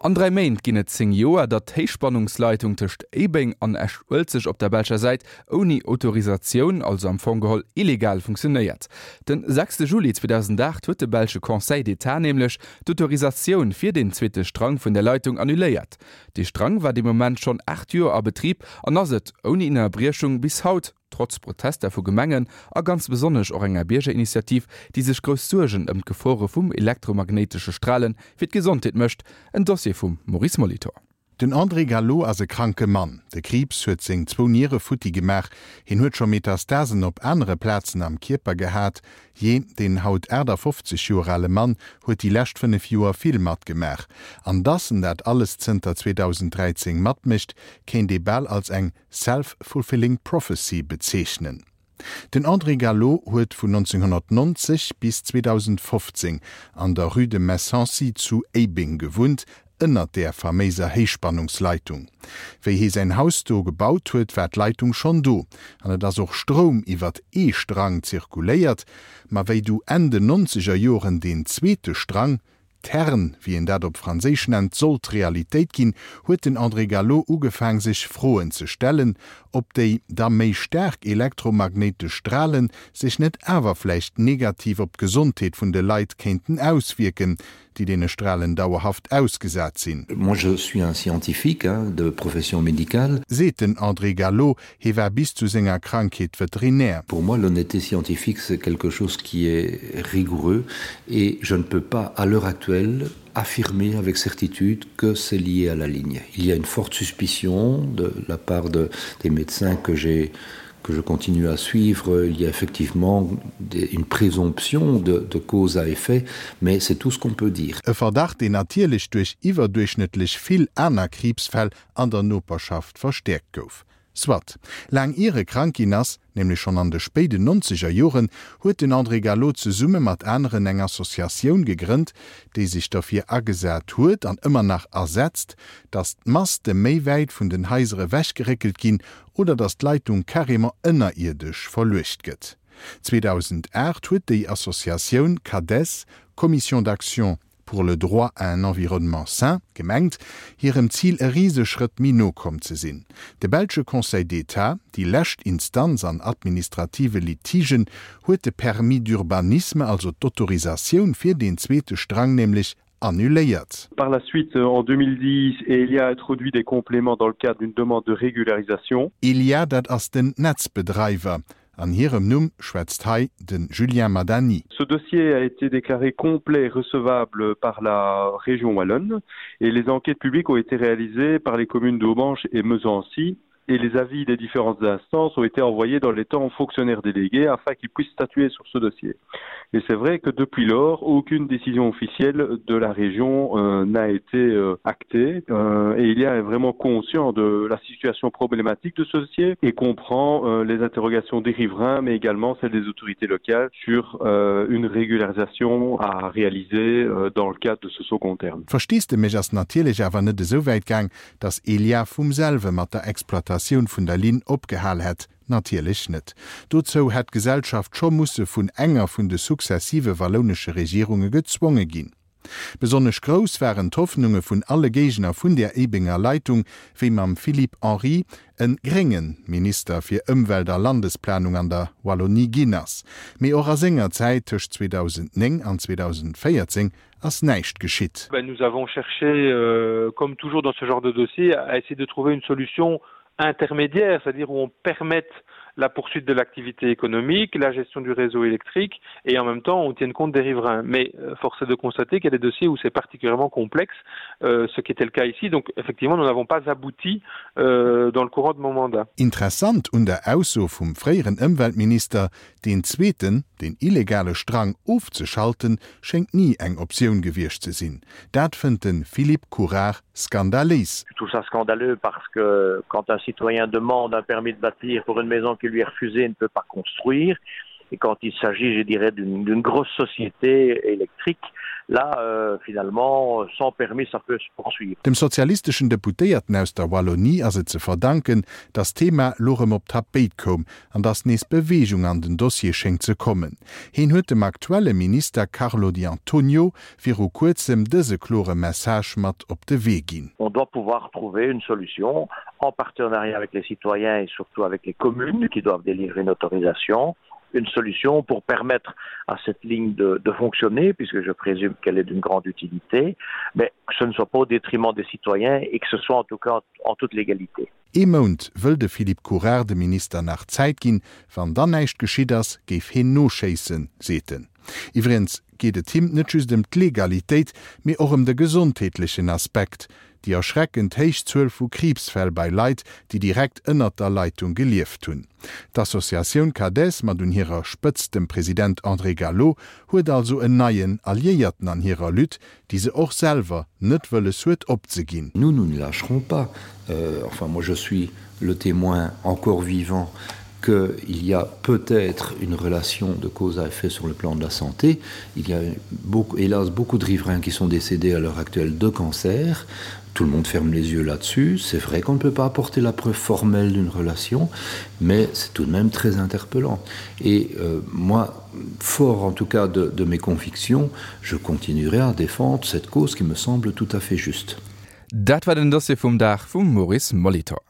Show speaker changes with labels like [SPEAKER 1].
[SPEAKER 1] An 3 Méint ginn et 10 Joer, datt d'Héichspannungsleitung tëscht Éibeng an Esch-Uelzecht op der belscher Säit ouni Autorisatioun, also am Fong geholl illegal, funktionéiert. Den sechste Juli 2008 huet de belsche Conseil d'État nämlech d'Autorisatioun fir deen zweete Strang vun der Leitung annuléiert. Dee Strang war dee Moment schonn 8 Joer a Betrib an ass et ouni Innerbriechung bis haut. Trotz Protester vu Gemengen a ganz besonnesch och enger Biergerinitiativ, déi sech grouss Suergen ëm d'Gefore vum elektromagnéitesche Strale fir d'Gesondheet mécht. En Dossier vum Maurice Molitor.
[SPEAKER 2] Den André Gallo ass e kranke Mann. De Kriibs huet seng zwou Niere futti gemaach. Hien huet scho Metastasen op anere Plazen am Kierper gehat. Jee, deen haut 58 Joer ale Mann huet déi lescht 5 Joer vill matgemaach. An dass en dat alles zënter 2013 matmécht, kéint ee bal als eng Self-fulfilling prophecy bezeechnen. Den André Gallo huet vun 1990 bis 2015 an der Rue de Messancy zu Éibeng gewunnt, ënnert där faméiser Héichspannungsleitung. Wéi hee säin Haus do gebaut huet, war d'Leitung schonn do an et ass och Stroum iwwert ee Strang zirkuléiert. Ma wéi du Enn den nonzeger Joren deen zweete Strang, Tern, wéi een dat op Franséisch nennt, sollt Realitéit ginn, huet den André Gallo ugefaang sech Froen ze stellen, ob déi da méi staark elektromagnéitesch Strale sech net awer vläicht negativ op d'Gesondheet vun de Leit kéinten auswierken, déi deene Stralen dauerhaft ausgesat sinn.
[SPEAKER 3] Moi je suis un scientifique, hein, de profession médicale.
[SPEAKER 2] Seet den André Gallo, Hie war bis zu senger Krankheet Veterinär.
[SPEAKER 3] Pour moi l'honnêteté scientifique c'est quelque chose qui est rigoureux et je ne peux pas à l'heure actuelle affirmer avec certitude que c'est lié à la ligne. Il y a une forte suspicion de la part de, des médecins que j'ai que je continue à suivre, il y a effectivement des, une présomption de, de cause à effet, mais c'est tout ce qu'on peut dire.
[SPEAKER 2] E Verdacht, deen natierlech duerch iwwerduerchschnëttlech vill aner Kriibsfäll an der Noperschaft verstäerkt gouf. Soit. Laang ier e krank ginn ass, nämlech schonn an de spéiden nonzeger Joren, huet den André Gallo zesumme mat aneren eng Associatioun gegrënnt, déi sech derfir agesat huet an ëmmer nach asetzt, datt d'Maste méi wäit vun den Haiser ewechgeréckelt ginn oder datt d'Leitung carrément ënnerierdesch verluecht gëtt. 2008 huet déi Associatioun CADES, Commission d'action pour le droit à un environnement sain, gemengt, hirem Zil e Riseschrëtt méi no komm ze sinn. De belsche Conseil d'État, déi lescht Instanz an administrative Litigen, huet de Permis d'urbanisme, also d'Autorisatioun fir deen zweete Strang nämlech annuléiert.
[SPEAKER 4] Par la suite, en 2010, Elia a introduit des compléments dans le cadre d'une demande de régularisation.
[SPEAKER 2] Elia, dat ass den Netzbedreiwer. An hirem Numm schwätzt hei de Julien Madani.
[SPEAKER 4] Ce dossier a été déclaré complet et recevable par la région wallonne et les enquêtes publiques ont été réalisées par les communes d'Aubange et Mesancy et les avis des différentes instances ont été envoyés dans les temps aux fonctionnaires délégués afin qu'ils puissent statuer sur ce dossier. Et c'est vrai que depuis lors, aucune décision officielle de la région euh, n'a été euh, actée euh, et il y a vraiment conscient de la situation problématique de ce dossier et comprend euh, les interrogations des riverains mais également celles des autorités locales sur euh, une régularisation à réaliser euh, dans le cadre de ce second terme.
[SPEAKER 2] D'Versteesdemech ass natierlech awer net esou wäit gaang, datt Elia vum selwe mat der Exploitatioun vun der Linn opgehal hätt. Natierlech net. Dozou hätt d'Gesellschaft scho musse vun enger vun de successive wallounesche Regierunge gezwonge ginn. Besonnesch grouss waren d'Hoffnunge vun alle Géigner vun där Éibenger Leitung, wéi mam Philippe Henry en grénge Minister fir Ëmwelt a Landesplanung an der Wallonie ginn ass. Mee och a senger Zäit tëscht 2009 an 2014 ass näischt geschitt.
[SPEAKER 4] Nous avons cherché, comme toujours dans ce genre de dossier, à essayer de trouver une solution intermédiaire, c'est-à-dire où on permette la poursuite de l'activité économique, la gestion du réseau électrique et en même temps on tienne compte des riverains. Mais euh, force est de constater qu'il y a des dossiers où c'est particulièrement complexe, euh, ce qui était le cas ici. Donc effectivement, nous n'avons pas abouti euh, dans le courant de mon mandat.
[SPEAKER 2] Interessant un der Ausso vum fréieren Ëmweltminister, deen zweeten, den illegale Strang ofzeschalten, schéngt ni eng Optioun gewiescht ze sinn. Dat fënnt de Philippe Courard skandaléis.
[SPEAKER 5] Je trouve ça scandaleux parce que quand un citoyen demande un permis de bâtir pour une maison qui lui est refusée, ne peut pas construire. Et quand il s'agit, je dirais, d'une grosse société électrique, là, euh, finalement, sans permis, ça peut se poursuivre.
[SPEAKER 2] Dem sozialisteschen Deputéierten aus der Wallonie ass et ze verdanken, datt d'Thema lo rëm op d'Tapéit koum an datt nees Beweegung an den Dossier schéngt ze kommen. Heen huet dem aktuelle Minister Carlo Di Antonio viru kuerzem dëse klore Message mat op de Wee ginn.
[SPEAKER 5] On doit pouvoir trouver une solution en partenariat avec les citoyens et surtout avec les communes qui doivent délivrer une autorisation, une solution pour permettre à cette ligne de, de fonctionner, puisque je présume qu'elle est d'une grande utilité, mais que ce ne soit pas au détriment des citoyens et que ce soit en tout cas en toute légalité.
[SPEAKER 2] Ee Mount wëll de Philippe Courard dem Minister nach Zäit ginn. Wann dann näischt geschitt ass, géif heen noschéissen, seet en. Iwwregens geet et him net just ëm d'Legalitéit, mee och ëm de gesondheetlechen Aspekt, déi erschreckend héich Zuel vu Kriibsfäll bei Leit, déi direkt ënnert der Leitung gelieft hunn. D'Associatioun CADES, mat un hirer Spëtzt dem President André Gallo, huet also en neien Alliéierten an hirer Lutte, déi se och selwer net wëlles huet opzeginn.
[SPEAKER 3] Nous, nous ne lâcherons pas. Euh, enfin, moi, je suis le témoin encore vivant qu'il y a peut-être une relation de cause à effet sur le plan de la santé. Il y a beaucoup, hélas beaucoup de riverains qui sont décédés à l'heure actuelle de cancer. Tout le monde ferme les yeux là-dessus. C'est vrai qu'on ne peut pas apporter la preuve formelle d'une relation, mais c'est tout de même très interpellant. Et euh, moi, fort en tout cas de, de mes convictions, je continuerai à défendre cette cause qui me semble tout à fait juste.
[SPEAKER 1] Dat war den Dossier vum Dag vum Maurice Molitor.